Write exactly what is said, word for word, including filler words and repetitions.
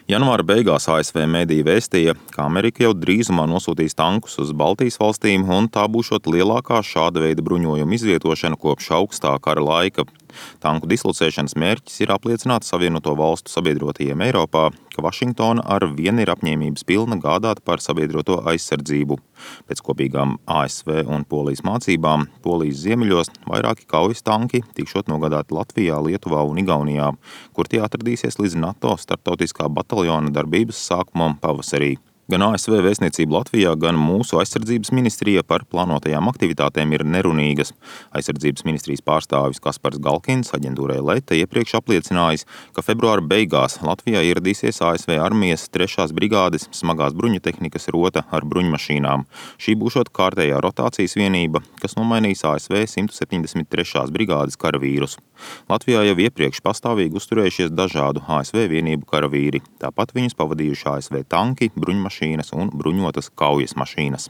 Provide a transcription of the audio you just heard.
Janvāra beigās A S V mediji vēstīja, ka Amerika jau drīzumā nosūtīs tankus uz Baltijas valstīm, un tā būšot lielākā šāda veida bruņojuma izvietošana kopš augstā kara laika. Tanku dislocēšanas mērķis ir apliecināt Savienoto valstu sabiedrotajiem Eiropā, ka Vašingtona ar vienu ir apņēmības pilna gādāt par sabiedroto aizsardzību. Pēc kopīgām A S V un Polijas mācībām Polijas ziemeļos vairāki kaujas tanki tikšot nogādāti Latvijā, Lietuvā un Igaunijā, kur tie atradīsies līdz NATO starptautiskā bataljona darbības sākumam pavasarī. Gan A S V vēstniecība Latvijā, gan mūsu aizsardzības ministrija par plānotajām aktivitātēm ir nerunīgas. Aizsardzības ministrijas pārstāvis Kaspars Galkins aģentūrai Leta iepriekš apliecinājis, ka februāra beigās Latvijā ieradīsies A S V armijas trešās brigādes smagās bruņutehnikas rota ar bruņmašīnām. Šī būšot kārtējā rotācijas vienība, kas nomainīs A S V simt septiņdesmit trešās brigādes karavīrus. Latvijā jau iepriekš pastāvīgi uzturējušies dažādu A S V vienību karavīri. Tāpat viņus pavadījuši A S V tanki, bruņmašīnas un bruņotas kaujas mašīnas.